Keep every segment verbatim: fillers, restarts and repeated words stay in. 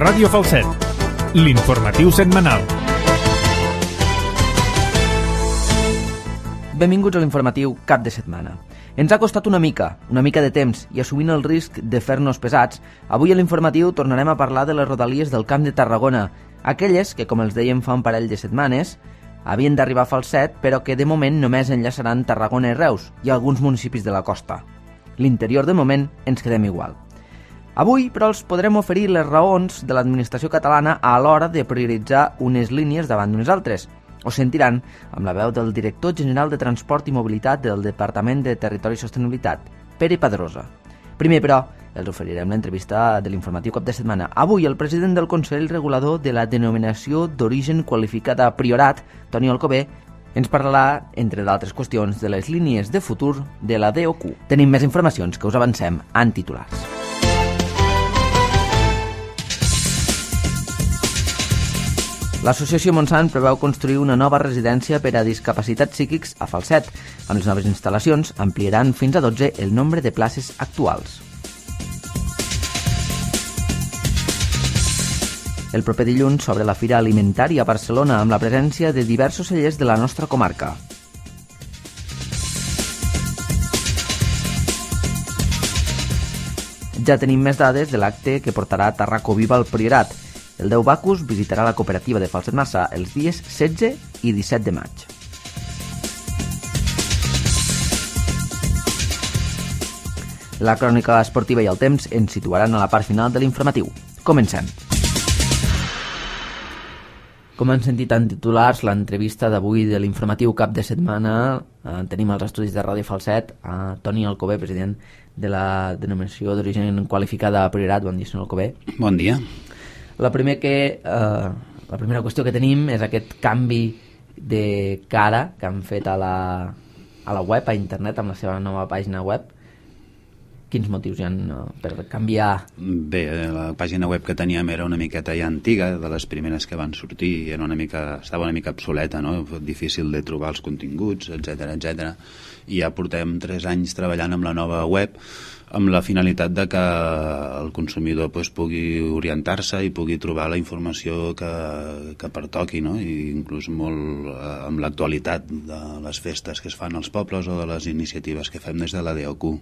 Ràdio Falset, l'informatiu setmanal. Benvinguts a l'informatiu cap de setmana. Ens ha costat una mica, una mica de temps, i assumint el risc de fer-nos pesats, avui a l'informatiu tornarem a parlar de les rodalies del Camp de Tarragona, aquelles que, com els dèiem fa un parell de setmanes, havien d'arribar a Falset, però que de moment només enllaçaran Tarragona i Reus i alguns municipis de la costa. L'interior, de moment, ens quedem igual. Avui, però, els podrem oferir les raons de l'administració catalana a l'hora de prioritzar unes línies davant d'unes altres. Ho sentiran amb la veu del director general de Transport i Mobilitat del Departament de Territori i Sostenibilitat, Pere Padrosa. Primer, però, els oferirem l'entrevista de l'informatiu cap de setmana. Avui, el president del Consell Regulador de la Denominació d'Origen Qualificada Priorat, Toni Alcover, ens parlarà, entre d'altres qüestions, de les línies de futur de la D O Q. Tenim més informacions que us avancem en titulars. L'associació Montsant preveu construir una nova residència per a discapacitats psíquics a Falset. Amb les noves instal·lacions ampliaran fins a dotze el nombre de places actuals. El proper dilluns s'obre la Fira Alimentària a Barcelona amb la presència de diversos cellers de la nostra comarca. Ja tenim més dades de l'acte que portarà Tarraco Viva al Priorat. El Déu Bacus visitarà la cooperativa de Falset Massà els dies setze i disset de maig. La crònica esportiva i el temps ens situaran a la part final de l'informatiu. Comencem. Com han sentit en titulars, l'entrevista d'avui de l'informatiu cap de setmana, eh, tenim als estudis de Ràdio Falset a Toni Alcover, president de la denominació d'origen qualificada a Priorat. Bon dia, senyor Alcover. Bon dia. La, primer que, eh, la primera qüestió que tenim és aquest canvi de cara que han fet a la, a la web, a internet, amb la seva nova pàgina web. Quins motius hi ha uh, per canviar? Bé, la pàgina web que teníem era una miqueta ja antiga, de les primeres que van sortir, era una mica, estava una mica obsoleta, no? Difícil de trobar els continguts, etcètera, etcètera. I ja portem tres anys treballant amb la nova web, amb la finalitat de que el consumidor pues, pugui orientar-se i pugui trobar la informació que, que pertoqui, no? I inclús molt eh, amb l'actualitat de les festes que es fan als pobles o de les iniciatives que fem des de la D O Q.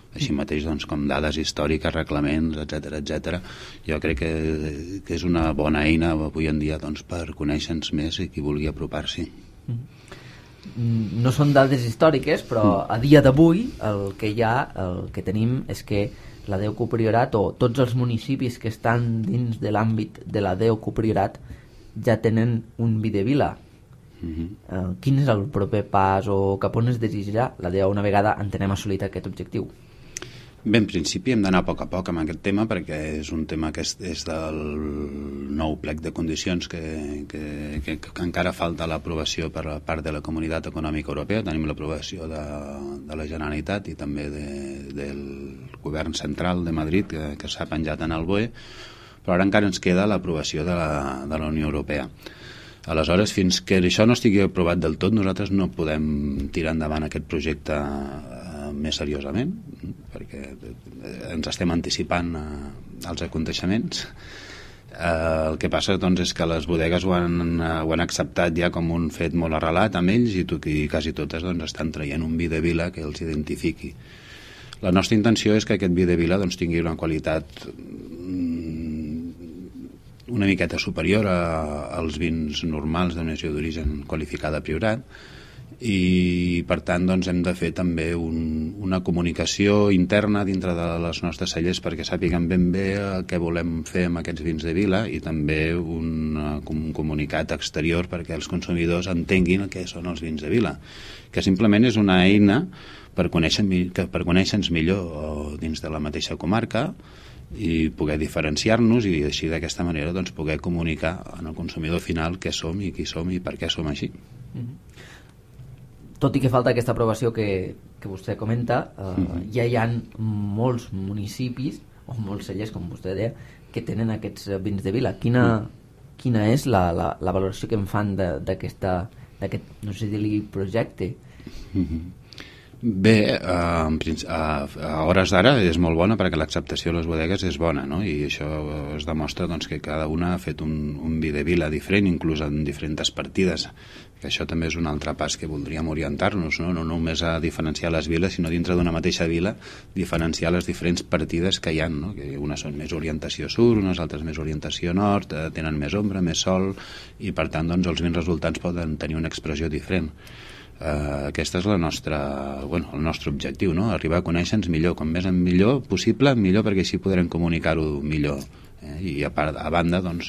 Així mateix, doncs, com dades històriques, reglaments, etcètera, etcètera. Jo crec que, que és una bona eina avui en dia doncs, per conèixer-nos més i qui vulgui apropar-s'hi. No són dades històriques, però a dia d'avui el que hi ha, el que tenim és que la D O Q Priorat o tots els municipis que estan dins de l'àmbit de la D O Q Priorat ja tenen un Videvila. Uh-huh. Uh, quin és el proper pas o cap on es desitjarà la D O una vegada entenem assolit aquest objectiu? Bé, en principi hem d'anar a poc a poc amb aquest tema perquè és un tema que és, és del nou plec de condicions que, que, que, que encara falta l'aprovació per part de la Comunitat Econòmica Europea. Tenim l'aprovació de, de la Generalitat i també de, del Govern Central de Madrid que, que s'ha penjat en el B O E, però ara encara ens queda l'aprovació de la, de la Unió Europea. Aleshores, fins que això no estigui aprovat del tot, nosaltres no podem tirar endavant aquest projecte més seriosament, perquè ens estem anticipant als aconteixements. El que passa doncs, és que les bodegues ho han, ho han acceptat ja com un fet molt arrelat amb ells i, i quasi totes doncs, estan traient un Videvila que els identifiqui. La nostra intenció és que aquest Videvila doncs, tingui una qualitat una miqueta superior a, als vins normals de denominació d'origen qualificada Priorat, i per tant doncs, hem de fer també un, una comunicació interna dintre de les nostres cellers perquè sàpiguen ben bé què volem fer amb aquests vins de vila i també un, un comunicat exterior perquè els consumidors entenguin què són els vins de vila, que simplement és una eina per conèixer-nos per conèixer-nos millor dins de la mateixa comarca i poder diferenciar-nos i així d'aquesta manera doncs, poder comunicar al consumidor final què som i qui som i per què som així. Mm-hmm. Tot i que falta aquesta aprovació que, que vostè comenta, eh, mm-hmm. ja hi ha molts municipis, o molts cellers, com vostè deia, que tenen aquests vins de vila. Quina, mm. quina és la, la, la valoració que en fan d'aquest, no sé dir-li, projecte? Mm-hmm. Bé, a, a hores d'ara és molt bona perquè l'acceptació de les bodegues és bona, no? I això es demostra doncs, que cada una ha fet un, un vi de vila diferent, inclús en diferents partides, que això també és un altre pas que voldríem orientar-nos, no? No només a diferenciar les viles, sinó dintre d'una mateixa vila diferenciar les diferents partides que hi ha, no? Que unes són més orientació sud, unes altres més orientació nord, tenen més ombra, més sol, i per tant doncs, els vins resultants poden tenir una expressió diferent. Uh, aquesta és la nostra, bueno, el nostre objectiu, no? Arribar a conèixer-nos millor, com més en millor possible, millor, perquè així podrem comunicar-ho millor, eh? I a, part, a banda doncs,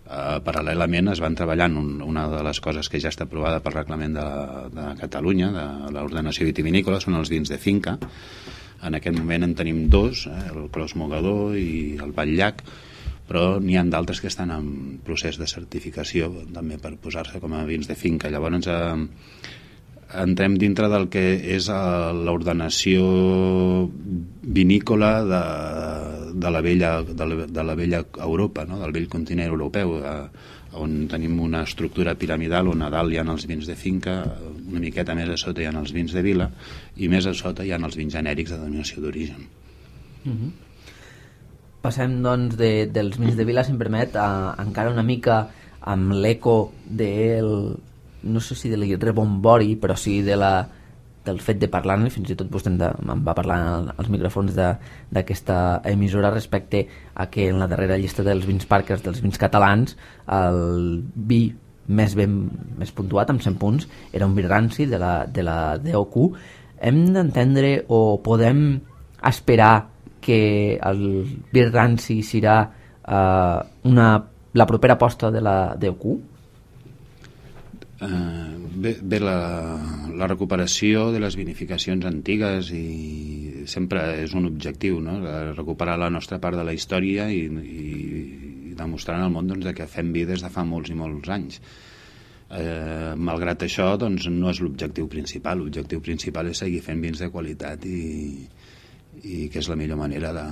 uh, paral·lelament es van treballant un, una de les coses que ja està aprovada pel reglament de, de Catalunya, de l'ordenació vitivinícola, són els vins de finca. En aquest moment en tenim dos, eh? El Clos Mogador i el Batllac, però n'hi ha d'altres que estan en procés de certificació també per posar-se com a vins de finca. Llavors eh, entrem dintre del que és l'ordenació vinícola de, de, la vella, de, la, de la vella Europa, no? Del vell continent europeu, eh, on tenim una estructura piramidal on a dalt hi ha els vins de finca, una miqueta més a sota hi ha els vins de vila i més a sota hi ha els vins genèrics de denominació d'origen. Mm-hmm. Passem doncs de, dels vins de vila, si em permet, a, encara una mica amb l'eco del, no sé si de l'irrebombori, però sí de la, del fet de parlar-ne, fins i tot vostè de, em va parlar als micròfons d'aquesta emissora respecte a que en la darrera llista dels vins Parkers, dels vins catalans, el vi més ben més puntuat, amb cent punts, era un vi ranci de la, de la D O Q. Hem d'entendre o podem esperar que el vi ranci serà uh, una, la propera aposta de la D O Q? Uh, bé, bé la, la recuperació de les vinificacions antigues i sempre és un objectiu, no? Recuperar la nostra part de la història i, i demostrar al món doncs, que fem vi des de fa molts i molts anys. Eh, malgrat això doncs, no és l'objectiu principal. L'objectiu principal és seguir fent vins de qualitat i, i que és la millor manera de,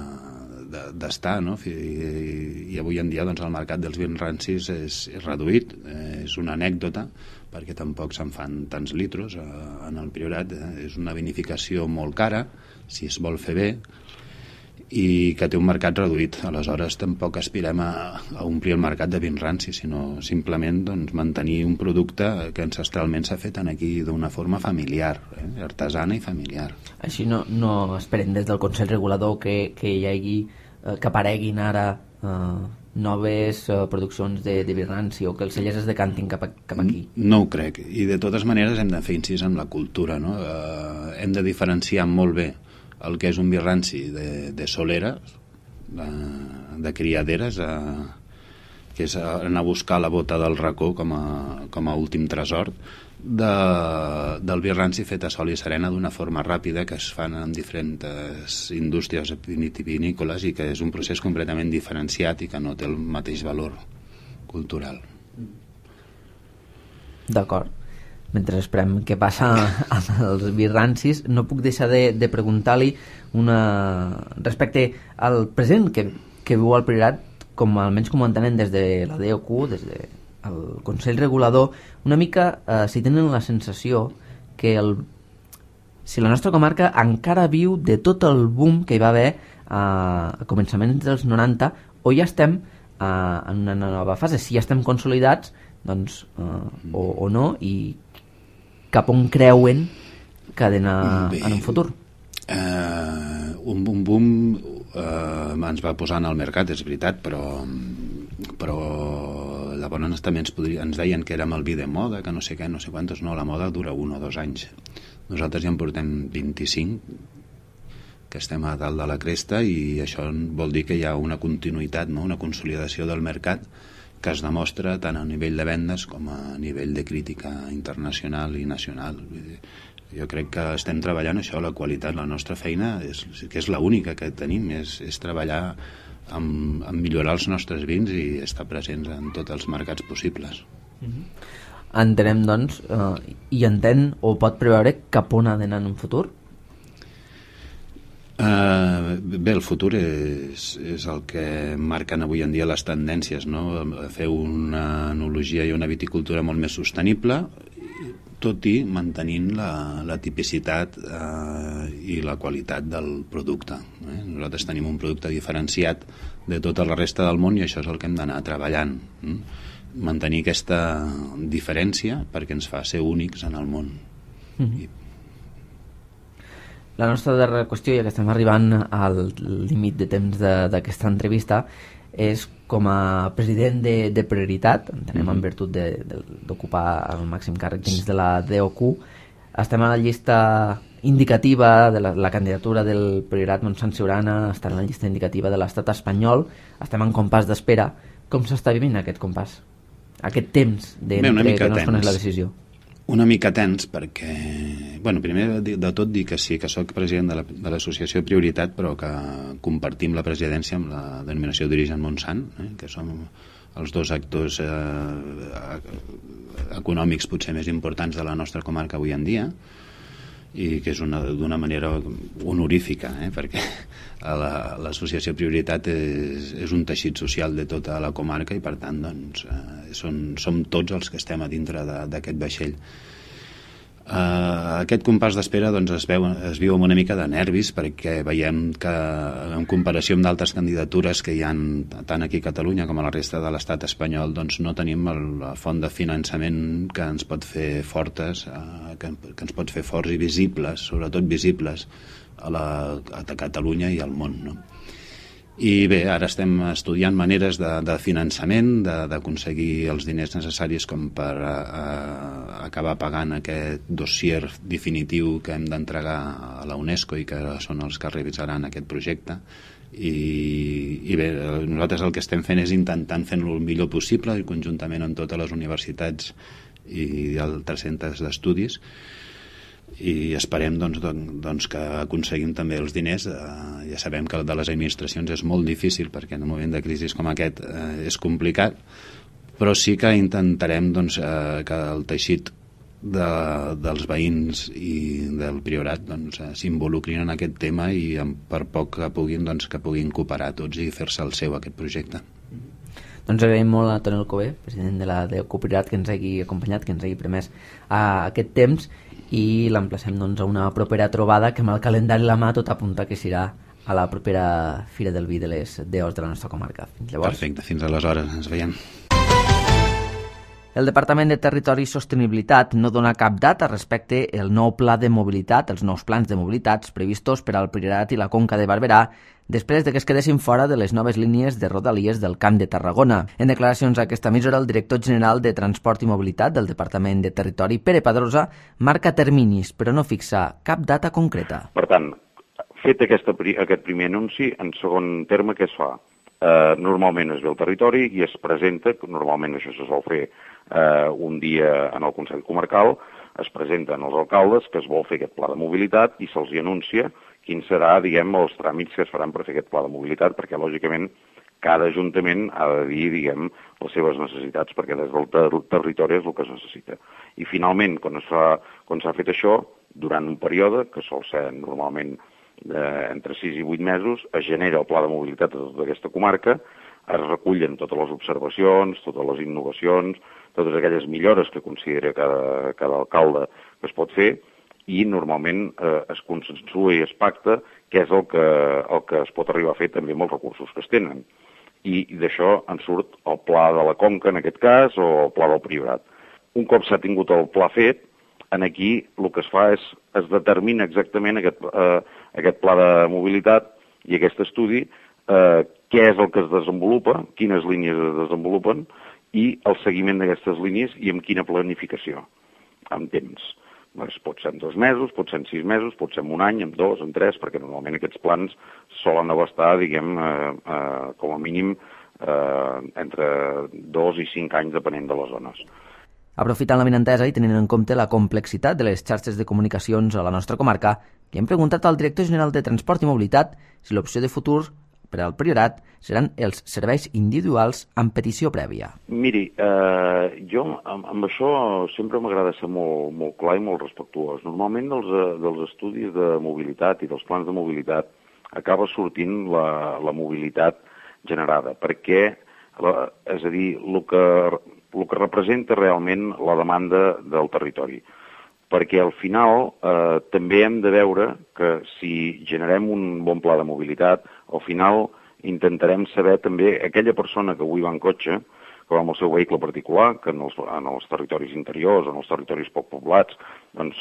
de, d'estar, no? I, i avui en dia doncs, el mercat dels vins rancis és, és reduït, eh, és una anècdota perquè tampoc se'n fan tants litros eh, en el Priorat, eh, és una vinificació molt cara si es vol fer bé i que té un mercat reduït. Aleshores tampoc aspirem a, a omplir el mercat de vins rancis, sinó simplement doncs, mantenir un producte que ancestralment s'ha fet aquí d'una forma familiar, eh? Artesana i familiar. Així no, no esperem des del Consell Regulador que, que hi hagi, eh, que apareguin ara eh, noves eh, produccions de, de vi ranci o que els cellers es decantin cap, a, cap aquí. No ho crec, i de totes maneres hem de fer incís en la cultura, no? Eh, hem de diferenciar molt bé el que és un vi ranci de, de solera, de, de criaderes, a, que és anar a buscar la bota del racó com a, com a últim tresor, de, del vi ranci fet a sol i serena d'una forma ràpida que es fan en diferents indústries vitivinícoles i que és un procés completament diferenciat i que no té el mateix valor cultural. D'acord. Mentre esperem què passa amb els vi rancis, no puc deixar de, de preguntar-li una... respecte al present que, que viu al Priorat, com almenys com ho entenen des de la D O Q, des del Consell Regulador, una mica eh, si tenen la sensació que el, si la nostra comarca encara viu de tot el boom que hi va haver eh, a començaments dels noranta, o ja estem eh, en una nova fase, si ja estem consolidats, doncs, eh, o, o no, i cap on creuen que ha d'anar en un futur? Uh, un boom boom uh, ens va posar en el mercat, és veritat, però però llavors també ens, podria, ens deien que érem el vi de moda, que no sé què, no sé quantos, no, la moda dura un o dos anys. Nosaltres ja en portem vint-i-cinc, que estem a dalt de la cresta, i això vol dir que hi ha una continuïtat, no? Una consolidació del mercat que es demostra tant a nivell de vendes com a nivell de crítica internacional i nacional. Jo crec que estem treballant això, la qualitat, la nostra feina, és, que és l'única que tenim, és, és treballar amb, amb millorar els nostres vins i estar presents en tots els mercats possibles. Mm-hmm. Entenem, doncs, eh, i entén o pot preveure cap on ha d'anar en un futur? Uh, bé, el futur és, és el que marquen avui en dia les tendències, no? Fer una enologia i una viticultura molt més sostenible, tot i mantenint la, la tipicitat eh, i la qualitat del producte. Eh? Nosaltres tenim un producte diferenciat de tota la resta del món i això és el que hem d'anar treballant. Eh? Mantenir aquesta diferència perquè ens fa ser únics en el món. Mm-hmm. I... La nostra darrera qüestió, ja que estem arribant al límit de temps d'aquesta entrevista, és com a president de, de Prioritat, entenem mm-hmm. en virtut d'ocupar el màxim càrrec dins de la D O Q, estem a la llista indicativa de la, la candidatura del Priorat Montsant Siurana, està en la llista indicativa de l'estat espanyol, estem en compàs d'espera. Com s'està vivint aquest compàs? Aquest temps de que no es coneix la decisió? Una mica tens perquè, bueno, primer de tot dir que sí, que sóc president de l'associació Prioritat, però que compartim la presidència amb la denominació d'origen Montsant, eh, que som els dos actors eh, econòmics potser més importants de la nostra comarca avui en dia, i que és d'una manera honorífica, eh, perquè l'associació la, Prioritat és, és un teixit social de tota la comarca i per tant doncs, eh, són, som tots els que estem a dintre d'aquest vaixell. Uh, aquest compàs d'espera doncs, es, veu, es viu amb una mica de nervis perquè veiem que en comparació amb d'altres candidatures que hi ha tant aquí a Catalunya com a la resta de l'estat espanyol doncs, no tenim el, la font de finançament que ens pot fer fortes, uh, que, que ens pot fer forts i visibles, sobretot visibles a, la, a Catalunya i al món, no? I bé, ara estem estudiant maneres de, de finançament, d'aconseguir els diners necessaris com per a, a, acabar pagant aquest dossier definitiu que hem d'entregar a la UNESCO i que són els que revisaran aquest projecte. I, i bé, nosaltres el que estem fent és intentant fer-lo el millor possible i conjuntament amb totes les universitats i altres centres d'estudis, i esperem doncs, doncs, que aconseguim també els diners. Eh, ja sabem que el de les administracions és molt difícil perquè en un moment de crisi com aquest eh, és complicat, però sí que intentarem doncs, eh, que el teixit de, dels veïns i del Priorat doncs, eh, s'involucrin en aquest tema i per poc que puguin, doncs, que puguin cooperar tots i fer-se el seu aquest projecte. Doncs agraïm molt a Toni Alcover, president de la D O Q Priorat, que ens hagi acompanyat, que ens hagi permès a aquest temps, i l'emplacem doncs, a una propera trobada que amb el calendari a la mà tot apunta que serà a la propera Fira del Vi de les D Os de la nostra comarca. Fins llavors. Perfecte, fins aleshores, ens veiem. El Departament de Territori i Sostenibilitat no dona cap data respecte al nou pla de mobilitat, els nous plans de mobilitats previstos per al Priorat i la Conca de Barberà, després de que es quedessin fora de les noves línies de rodalies del Camp de Tarragona. En declaracions a aquesta emissora, el director general de Transport i Mobilitat del Departament de Territori, Pere Padrosa, marca terminis, però no fixa cap data concreta. Per tant, fet aquesta, aquest primer anunci, en segon terme, què es fa? Eh, normalment es ve al territori i es presenta, normalment això se sol fer eh, un dia en el Consell Comarcal, es presenten els alcaldes que es vol fer aquest pla de mobilitat i se'ls anuncia quins serà, diguem, els tràmits que es faran per fer aquest pla de mobilitat, perquè, lògicament, cada ajuntament ha de dir, diguem, les seves necessitats, perquè des del ter territori és el que es necessita. I, finalment, quan s'ha fet això, durant un període, que sol ser normalment eh, entre sis i vuit mesos, es genera el pla de mobilitat de tota aquesta comarca, es recullen totes les observacions, totes les innovacions, totes aquelles millores que considera cada, cada alcalde que es pot fer, i normalment eh, es consensua i es pacta què és el que, el que es pot arribar a fer també amb els recursos que es tenen. I, i d'això en surt el pla de la Conca, en aquest cas, o el pla del Priorat. Un cop s'ha tingut el pla fet, en aquí el que es fa és, es determina exactament aquest, eh, aquest pla de mobilitat i aquest estudi, eh, què és el que es desenvolupa, quines línies es desenvolupen, i el seguiment d'aquestes línies i amb quina planificació, amb temps. Pot ser en dos mesos, pot ser en sis mesos, pot ser en un any, en dos, en tres, perquè normalment aquests plans solen abastar, diguem, eh, eh, com a mínim eh, entre dos i cinc anys, depenent de les zones. Aprofitant l'avinentesa i tenint en compte la complexitat de les xarxes de comunicacions a la nostra comarca, li hem preguntat al director general de Transport i Mobilitat si l'opció de futur per al Priorat seran els serveis individuals amb petició prèvia. Miri, eh, jo amb, amb això sempre m'agrada ser molt, molt clar i molt respectuós. Normalment dels, dels estudis de mobilitat i dels plans de mobilitat acaba sortint la, la mobilitat generada, perquè, és a dir, el que, el que representa realment la demanda del territori. perquè al final eh, també hem de veure que si generem un bon pla de mobilitat, al final intentarem saber també aquella persona que avui va en cotxe, que va amb el seu vehicle particular, que en els, en els territoris interiors, en els territoris poc poblats, doncs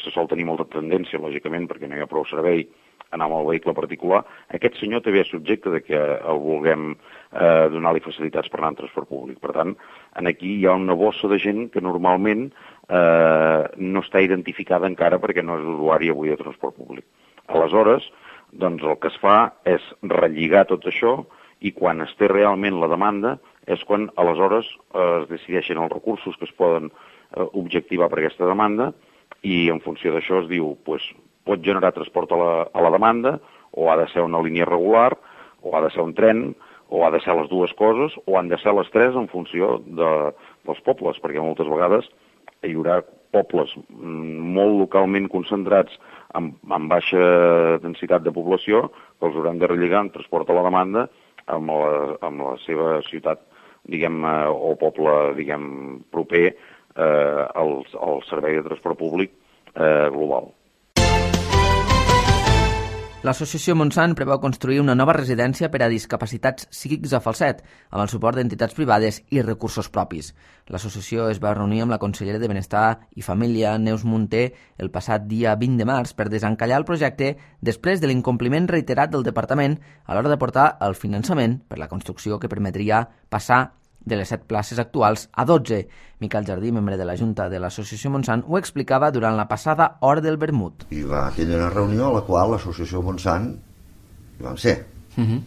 se sol tenir molta tendència, lògicament, perquè no hi ha prou servei, anar amb el vehicle particular. Aquest senyor també és subjecte de que el vulguem eh, donar-li facilitats per anar en transport públic. Per tant, aquí hi ha una bossa de gent que normalment eh, no està identificada encara perquè no és usuari avui de transport públic. Aleshores, doncs el que es fa és relligar tot això i quan es té realment la demanda és quan aleshores eh, es decideixen els recursos que es poden eh, objectivar per aquesta demanda i en funció d'això es diu, pues, pot generar transport a la, a la demanda, o ha de ser una línia regular, o ha de ser un tren, o ha de ser les dues coses, o han de ser les tres en funció de, dels pobles, perquè moltes vegades hi haurà pobles molt localment concentrats amb, amb baixa densitat de població que els hauran de relligar en transport a la demanda amb la, amb la seva ciutat, diguem, o poble, diguem, proper eh, al, al servei de transport públic eh, global. L'associació Montsant preveu construir una nova residència per a discapacitats psíquics a Falset, amb el suport d'entitats privades i recursos propis. L'associació es va reunir amb la consellera de Benestar i Família, Neus Munté, el passat dia vint de març per desencallar el projecte després de l'incompliment reiterat del departament a l'hora de portar el finançament per la construcció que permetria passar de les set places actuals a dotze. Miquel Jardí, membre de la Junta de l'Associació Montsant, ho explicava durant la passada hora del vermut. I va tenir una reunió a la qual l'Associació Montsant hi vam ser. Uh-huh.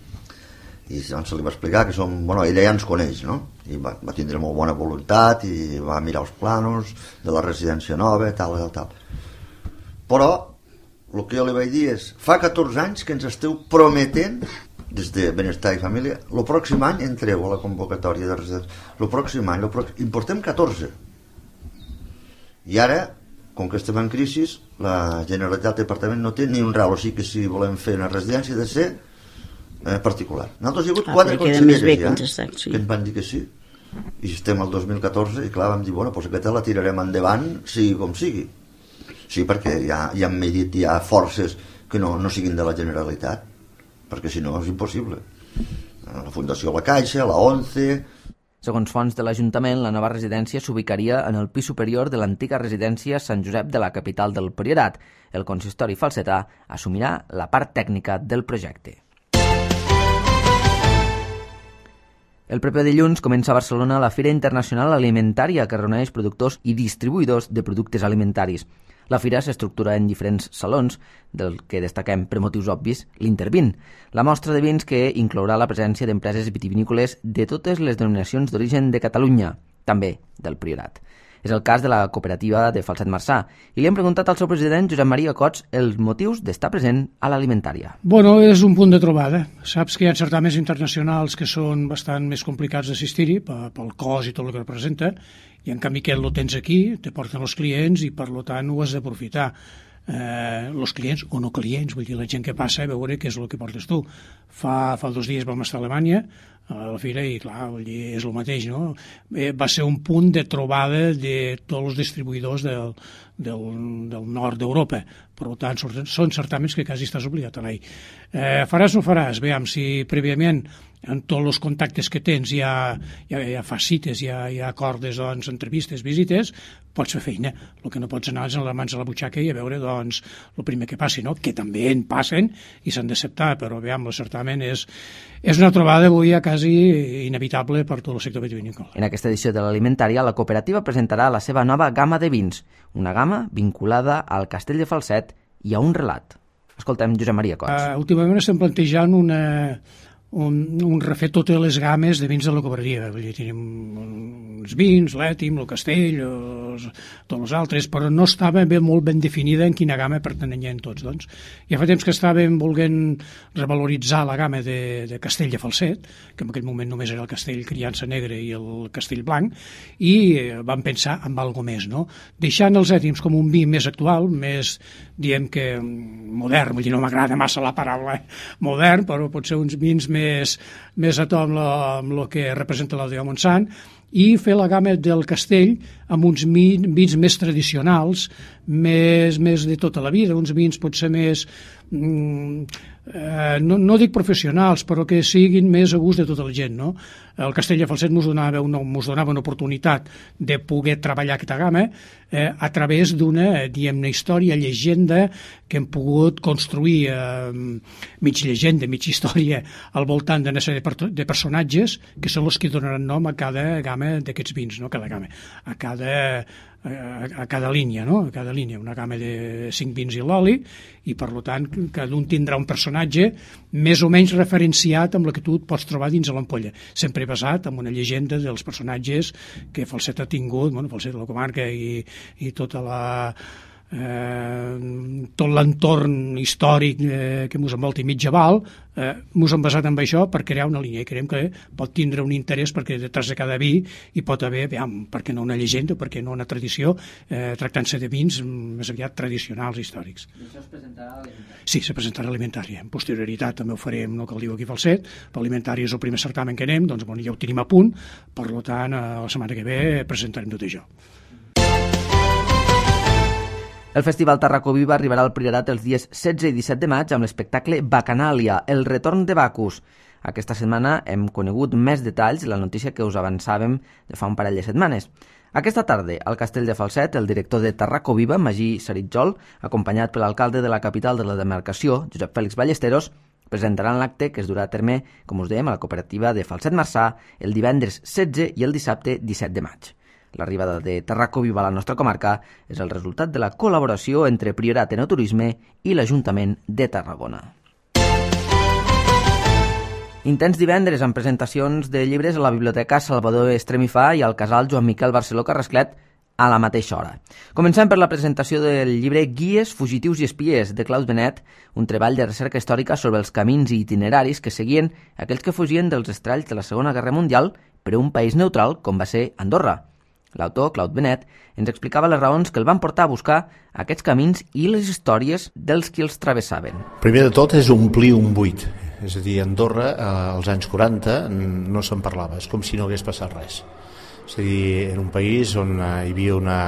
I doncs se li va explicar que som... Bueno, ella ja ens coneix, no? I va, va tindre molt bona voluntat i va mirar els planos de la residència nova, tal, tal, tal. Però el que jo li vaig dir és fa catorze anys que ens esteu prometent des de Benestar i Família, el pròxim any entreu a la convocatòria de residència. El pròxim any, el pròxim... en portem catorze. I ara, com que estem en crisi, la Generalitat del Departament no té ni un ral, o sigui que si volem fer una residència ha de ser eh, particular. Nosaltres hi ha hagut ah, quatre conselleres ja, estat, sí. que ens van dir que sí. I estem al dos mil catorze i clar, vam dir, bueno, doncs aquesta la tirarem endavant, sigui com sigui. Sí, perquè ja, ja hem medit, hi ha forces que no, no siguin de la Generalitat, perquè si no és impossible. La Fundació La Caixa, la ONCE... Segons fonts de l'Ajuntament, la nova residència s'ubicaria en el pis superior de l'antiga residència Sant Josep de la capital del Priorat. El consistori falsetà assumirà la part tècnica del projecte. El proper dilluns comença a Barcelona la Fira Internacional Alimentària que reuneix productors i distribuïdors de productes alimentaris. La fira s'estructura en diferents salons, del que destaquem per motius obvis l'Intervin, la mostra de vins que inclourà la presència d'empreses vitivinícoles de totes les denominacions d'origen de Catalunya, també del Priorat. És el cas de la cooperativa de Falset Marçà, i li hem preguntat al seu president, Josep Maria Cots, els motius d'estar present a l'alimentària. Bueno, és un punt de trobada. Saps que hi ha certaments internacionals que són bastant més complicats d'assistir-hi pel cost i tot el que representa, i en canvi aquest lo tens aquí, te porten els clients i per tant ho has d'aprofitar. Eh, els clients o no clients, vull dir, la gent que passa a veure què és el que portes tu. Fa, fa dos dies vam estar a Alemanya a la fira i clar, vull dir, és el mateix, no? Eh, va ser un punt de trobada de tots els distribuïdors del, del, del nord d'Europa. Per tant, són certaments que quasi estàs obligat a anar-hi. Eh, faràs o no faràs? Veiem si prèviament en tots els contactes que tens ja, ja, ja fas cites, ja, ja acordes doncs, entrevistes, visites, pots fer feina. El que no pots anar és amb les mans a la butxaca i a veure doncs, el primer que passi, no? Que també en passen i s'han d'acceptar, però veiem, el certament és, és una trobada avui ja quasi inevitable per tot el sector vitivinícola. En aquesta edició de l'alimentària, la cooperativa presentarà la seva nova gamma de vins, una gamma vinculada al Castell de Falset i a un relat. Escoltem Josep Maria Cots. Uh, últimament estem plantejant una... Un, un refet totes les games de vins de la cooperativa. Vull dir, tenim uns vins, l'Ètim, el Castell, els, tots els altres, però no estava ben, molt ben definida en quina gamma pertanyien tots. Doncs. Ja fa temps que estàvem volent revaloritzar la gamma de, de Castell de Falset, que en aquell moment només era el Castell Criança Negra i el Castell Blanc, i vam pensar en algo més, no? Deixant els Ètims com un vi més actual, més, diem que modern, vull dir, no m'agrada massa la paraula modern, però pot ser uns vins més més, més a to amb el que representa l'Aldea Montsant, i fer la gamma del castell amb uns vins més tradicionals, més, més de tota la vida, uns vins potser més... Mm, eh, no, no dic professionals, però que siguin més a gust de tota la gent, no? El Castell de Falset mos donava una, mos donava una oportunitat de poder treballar aquesta gamma eh, a través d'una, diguem-ne, història, llegenda que hem pogut construir eh, mig llegenda, mig història al voltant d'una sèrie de, de personatges que són els que donaran nom a cada gamma d'aquests vins, no? Cada gamma, a cada a cada línia, no? A cada línia, una gamma de cinc vins i l'oli, i per tant cada un tindrà un personatge més o menys referenciat amb la que tu et pots trobar dins de l'ampolla, sempre basat en una llegenda dels personatges que Falset ha tingut, bueno, Falset de la comarca i, i tota la eh, tot l'entorn històric eh, que mos envolta i mitjaval, eh, mos hem basat en això per crear una línia, i creiem que pot tindre un interès perquè detrás de cada vi hi pot haver, veam, per què no una llegenda, per què no una tradició, eh, tractant-se de vins més aviat tradicionals històrics. I això es presentarà a l'alimentari? Sí, se presentarà a l'alimentari. En posterioritat també ho farem, no cal dir aquí Falset, però l'alimentari és el primer certamen que anem, doncs bueno, ja ho tenim a punt, per tant, la setmana que ve presentarem tot això. El Festival Tarracó Viva arribarà al Priorat els dies setze i disset de maig amb l'espectacle Bacanàlia, el retorn de Bacus. Aquesta setmana hem conegut més detalls de la notícia que us avançàvem de fa un parell de setmanes. Aquesta tarda, al Castell de Falset, el director de Tarracó Viva, Magí Saritjol, acompanyat per l'alcalde de la capital de la demarcació, Josep Fèlix Ballesteros, presentaran l'acte que es durà a terme, com us dèiem, a la cooperativa de Falset Marçà el divendres setze i el dissabte disset de maig. L'arribada de Tarracó Viva a la nostra comarca és el resultat de la col·laboració entre Priorat Enoturisme i l'Ajuntament de Tarragona. Intens divendres amb presentacions de llibres a la Biblioteca Salvador Estremifà i al Casal Joan Miquel Barceló Carrasclet a la mateixa hora. Comencem per la presentació del llibre Guies, fugitius i espies, de Claude Benet, un treball de recerca històrica sobre els camins i itineraris que seguien aquells que fugien dels estralls de la Segona Guerra Mundial per a un país neutral com va ser Andorra. L'autor, Claude Benet, ens explicava les raons que el van portar a buscar aquests camins i les històries dels qui els travessaven. Primer de tot és omplir un buit. És a dir, a Andorra, als anys quaranta, no se'n parlava. És com si no hagués passat res. És a dir, era un país on hi havia una,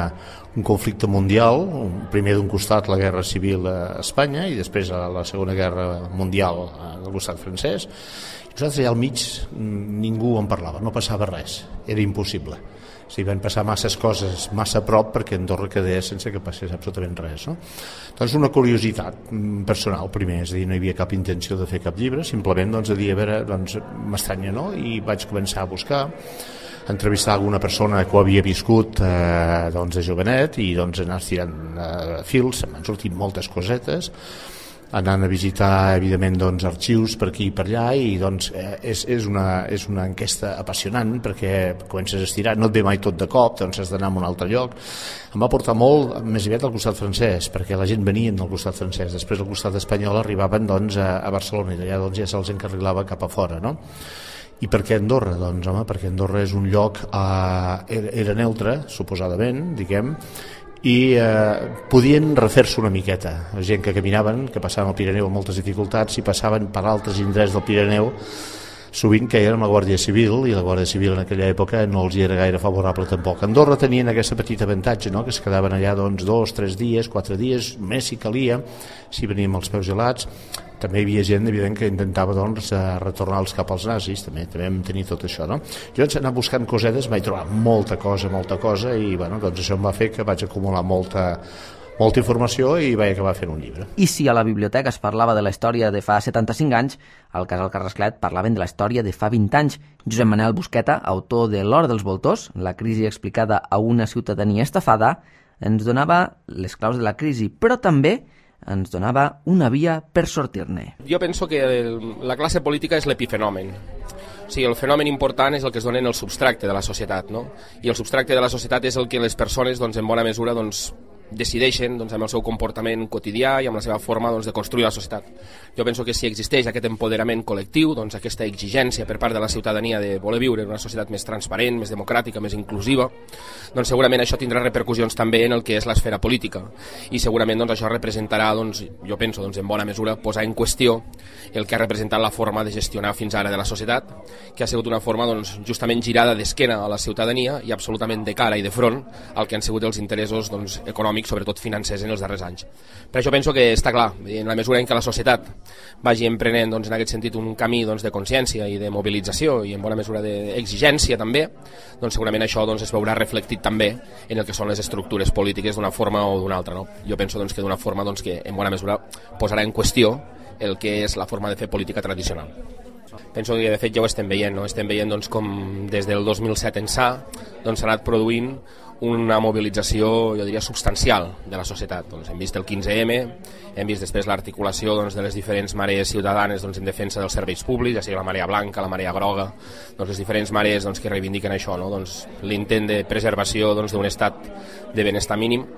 un conflicte mundial, primer d'un costat la Guerra Civil a Espanya i després a la Segona Guerra Mundial al costat francès. I nosaltres allà al mig ningú en parlava, no passava res, era impossible. O sigui, van passar masses coses massa a prop perquè Andorra quedés sense que passés absolutament res, no? Doncs una curiositat personal primer, és a dir, no hi havia cap intenció de fer cap llibre, simplement doncs, a dir, a veure, doncs, m'estranya, no? I vaig començar a buscar, a entrevistar alguna persona que ho havia viscut eh, doncs, de jovenet i doncs anar tirant eh, fils, m'han sortit moltes cosetes, anant a visitar, evidentment, doncs, arxius per aquí i per allà, i doncs, eh, és, és, una, és una enquesta apassionant perquè comences a estirar, no et ve mai tot de cop, doncs has d'anar a un altre lloc. Em va portar molt més aviat al costat francès, perquè la gent venien del costat francès, després al costat espanyol arribaven doncs, a, a Barcelona, i allà doncs, ja se'ls encarrilava cap a fora, no? I per què Andorra? Doncs, home, perquè Andorra és un lloc, eh, era, era neutre, suposadament, diguem, i eh, podien refer-se una miqueta. La gent que caminaven, que passaven al Pirineu amb moltes dificultats, i passaven per altres indrets del Pirineu, sovint que era amb la Guàrdia Civil, i la Guàrdia Civil en aquella època no els era gaire favorable tampoc. Andorra tenien aquesta petita avantatge, no? Que es quedaven allà doncs, dos, tres dies, quatre dies, més si calia, si veníem els peus gelats. També hi havia gent, evident, que intentava doncs, retornar-los cap als nazis, també, també vam tenir tot això, no? Jo vaig anar buscant cosetes, vaig trobar molta cosa, molta cosa, i bueno, doncs això em va fer que vaig acumular molta, molta informació i vaig acabar fent un llibre. I si a la biblioteca es parlava de la història de fa setanta-cinc anys, al Casal Carrasclet parlaven de la història de fa vint anys. Josep Manel Busqueta, autor de L'Hora dels Voltors, la crisi explicada a una ciutadania estafada, ens donava les claus de la crisi, però també ens donava una via per sortir-ne. Jo penso que la classe política és l'epifenomen. O sigui, el fenomen important és el que es dona en el substracte de la societat, no? I el substracte de la societat és el que les persones, doncs, en bona mesura, doncs, decideixen doncs, amb el seu comportament quotidià i amb la seva forma doncs, de construir la societat. Jo penso que si existeix aquest empoderament col·lectiu, doncs, aquesta exigència per part de la ciutadania de voler viure en una societat més transparent, més democràtica, més inclusiva, doncs segurament això tindrà repercussions també en el que és l'esfera política i segurament doncs, això representarà, doncs, jo penso, doncs, en bona mesura posar en qüestió el que ha representat la forma de gestionar fins ara de la societat, que ha sigut una forma doncs, justament girada d'esquena a la ciutadania i absolutament de cara i de front al que han sigut els interessos doncs, econòmics, sobretot financers, en els darrers anys. Per això penso que està clar, en la mesura en què la societat vagi emprenent doncs, en aquest sentit un camí doncs, de consciència i de mobilització i en bona mesura d'exigència també, doncs segurament això doncs, es veurà reflectit també en el que són les estructures polítiques d'una forma o d'una altra. No? Jo penso doncs, que d'una forma doncs, que en bona mesura posarà en qüestió el que és la forma de fer política tradicional. Penso que de fet ja ho estem veient, no? Estem veient doncs, com des del dos mil set ençà doncs, s'ha anat produint una mobilització, jo diria, substancial de la societat. Doncs hem vist el quinze eme, hem vist després l'articulació doncs, de les diferents marees ciutadanes doncs, en defensa dels serveis públics, ja sigui la marea blanca, la marea groga, doncs, les diferents marees doncs, que reivindiquen això, no? Doncs, l'intent de preservació doncs, d'un estat de benestar mínim.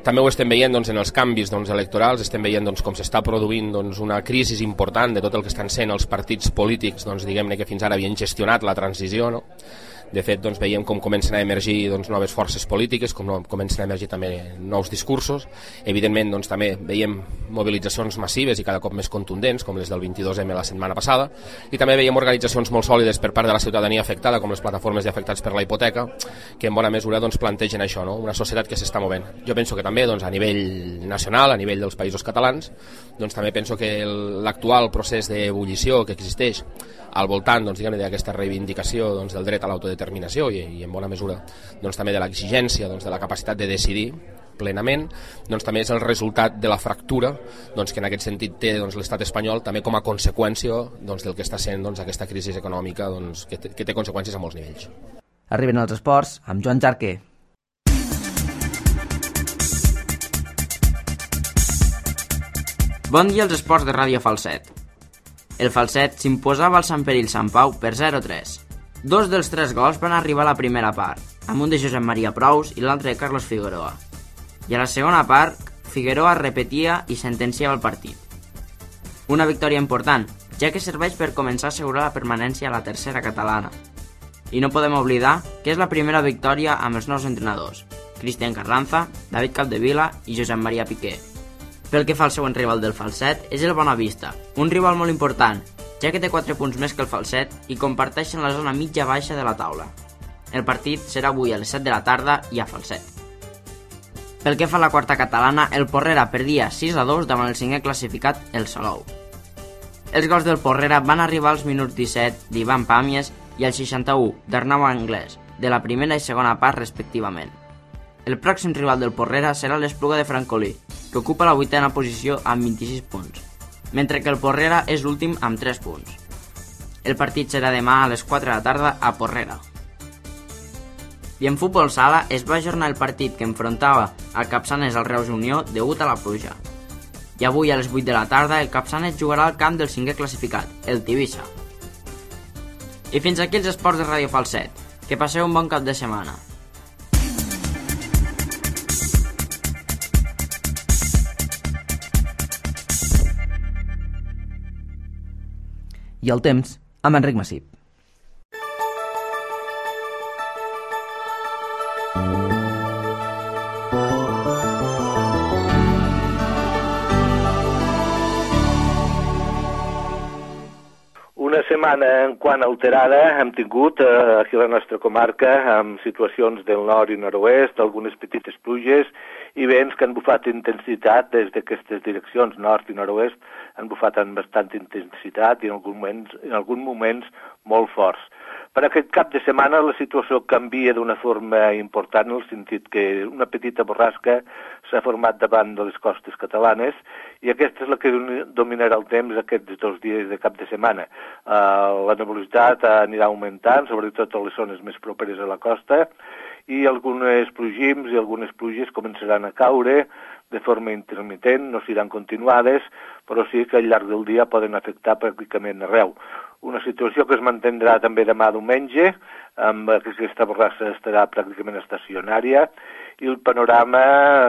També ho estem veient doncs, en els canvis doncs, electorals, estem veient doncs, com s'està produint doncs, una crisi important de tot el que estan sent els partits polítics doncs, diguem-ne que fins ara havien gestionat la transició, no? De fet, doncs, veiem com comencen a emergir doncs, noves forces polítiques, com no, comencen a emergir també nous discursos. Evidentment, doncs, també veiem mobilitzacions massives i cada cop més contundents, com les del vint-i-dos eme la setmana passada, i també veiem organitzacions molt sòlides per part de la ciutadania afectada, com les plataformes d'afectats per la hipoteca, que en bona mesura doncs, plantegen això, no? Una societat que s'està movent. Jo penso que també doncs, a nivell nacional, a nivell dels països catalans, doncs, també penso que l'actual procés d'ebullició que existeix al voltant doncs, d'aquesta reivindicació doncs, del dret a l'autodeterminació i, i en bona mesura doncs, també de l'exigència doncs, de la capacitat de decidir plenament, doncs, també és el resultat de la fractura doncs, que en aquest sentit té doncs, l'estat espanyol també com a conseqüència doncs, del que està sent doncs, aquesta crisi econòmica doncs, que, té, que té conseqüències a molts nivells. Arriben els esports amb Joan Jarque. Bon dia als esports de Ràdio Falset. El Falset s'imposava al Sant Perill Sant Pau per zero a tres. Dos dels tres gols van arribar a la primera part, amb un de Josep Maria Prous i l'altre de Carlos Figueroa. I a la segona part, Figueroa repetia i sentenciava el partit. Una victòria important, ja que serveix per començar a assegurar la permanència a la tercera catalana. I no podem oblidar que és la primera victòria amb els nous entrenadors, Cristian Carranza, David Capdevila i Josep Maria Piqué. Pel que fa al següent rival del Falset és el Bonavista, un rival molt important, ja que té quatre punts més que el Falset i comparteixen la zona mitja-baixa de la taula. El partit serà avui a les set de la tarda i a Falset. Pel que fa a la quarta catalana, el Porrera perdia sis a dos davant el cinquè classificat, el Salou. Els gols del Porrera van arribar als minuts disset d'Ivan Pàmies i al seixanta-u d'Arnau Anglès, de la primera i segona part respectivament. El pròxim rival del Porrera serà l'Espluga de Francolí, que ocupa la vuitena posició amb vint-i-sis punts, mentre que el Porrera és l'últim amb tres punts. El partit serà demà a les quatre de la tarda a Porrera. I en futbol sala es va ajornar el partit que enfrontava el Capçanes al Reus Unió degut a la pluja. I avui a les vuit de la tarda el Capçanes jugarà al camp del cinquè classificat, el Tivissa. I fins aquí els esports de Ràdio Falset. Que passeu un bon cap de setmana. I el temps, amb Enric Massip. Una setmana en quant alterada hem tingut eh, aquí a la nostra comarca amb situacions del nord i nord-oest, algunes petites pluges i vents que han bufat intensitat des d'aquestes direccions nord i nord-oest, han bufat amb bastanta intensitat i en alguns moments, en alguns moments molt forts. Per aquest cap de setmana la situació canvia d'una forma important en el sentit que una petita borrasca s'ha format davant de les costes catalanes i aquesta és la que dominarà el temps aquests dos dies de cap de setmana. Uh, la nebulositat anirà augmentant, sobretot a les zones més properes a la costa, i algunes plogims i algunes pluges començaran a caure de forma intermitent, no seran continuades, però sí que al llarg del dia poden afectar pràcticament arreu. Una situació que es mantindrà també demà diumenge, amb aquesta borrassa estarà pràcticament estacionària, i el panorama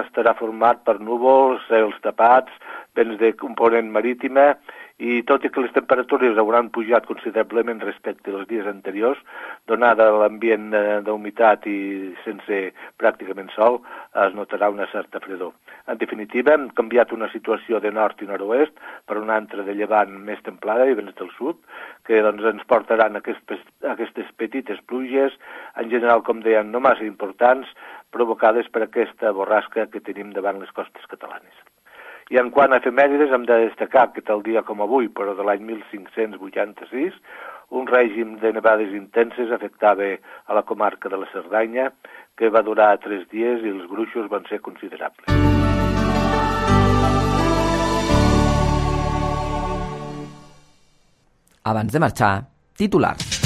estarà format per núvols, cels tapats, vents de component marítima, i tot i que les temperatures hauran pujat considerablement respecte als dies anteriors, donada l'ambient d'humitat i sense pràcticament sol, es notarà una certa fredor. En definitiva, hem canviat una situació de nord i nord-oest per una altra de llevant més templada i vents del sud, que doncs, ens portaran aquestes, aquestes petites pluges, en general, com deien, no massa importants, provocades per aquesta borrasca que tenim davant les costes catalanes. I en quant a efemèrides, hem de destacar que tal dia com avui, però de l'any mil cinc-cents vuitanta-sis, un règim de nevades intenses afectava a la comarca de la Cerdanya, que va durar tres dies i els gruixos van ser considerables. Abans de marxar, titulars.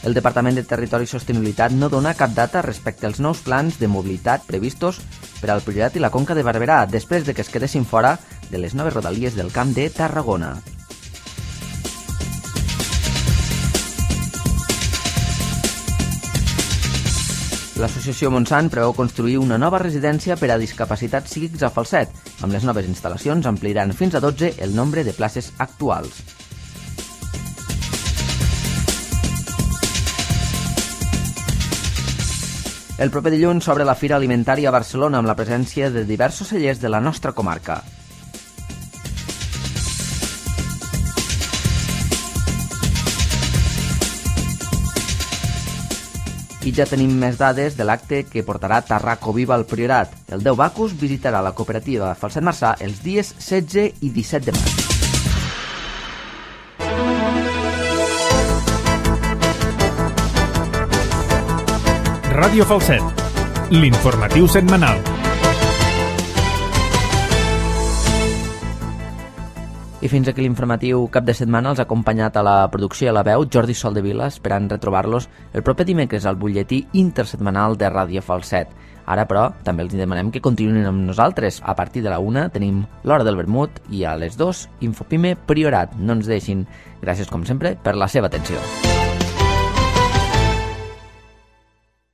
El Departament de Territori i Sostenibilitat no dona cap data respecte als nous plans de mobilitat previstos per al Priorat i la Conca de Barberà després de que es quedessin fora de les noves rodalies del Camp de Tarragona. L'associació Montsant preveu construir una nova residència per a discapacitats psíquics a Falset. Amb les noves instal·lacions ampliaran fins a dotze el nombre de places actuals. El proper dilluns s'obre la Fira Alimentària a Barcelona amb la presència de diversos cellers de la nostra comarca. I ja tenim més dades de l'acte que portarà Tarraco Viva al Priorat. El Déu Bacus visitarà la cooperativa Falset Marçà els dies setze i disset de maig. Ràdio Falset, l'informatiu setmanal. I fins aquí l'informatiu cap de setmana els ha acompanyat a la producció i a la veu Jordi Soldevila, esperant retrobar-los el proper dimecres al butlletí intersetmanal de Ràdio Falset. Ara, però, també els demanem que continuïn amb nosaltres. A partir de la una tenim l'Hora del Vermut i a les dues Infopime Priorat. No ens deixin. Gràcies, com sempre, per la seva atenció.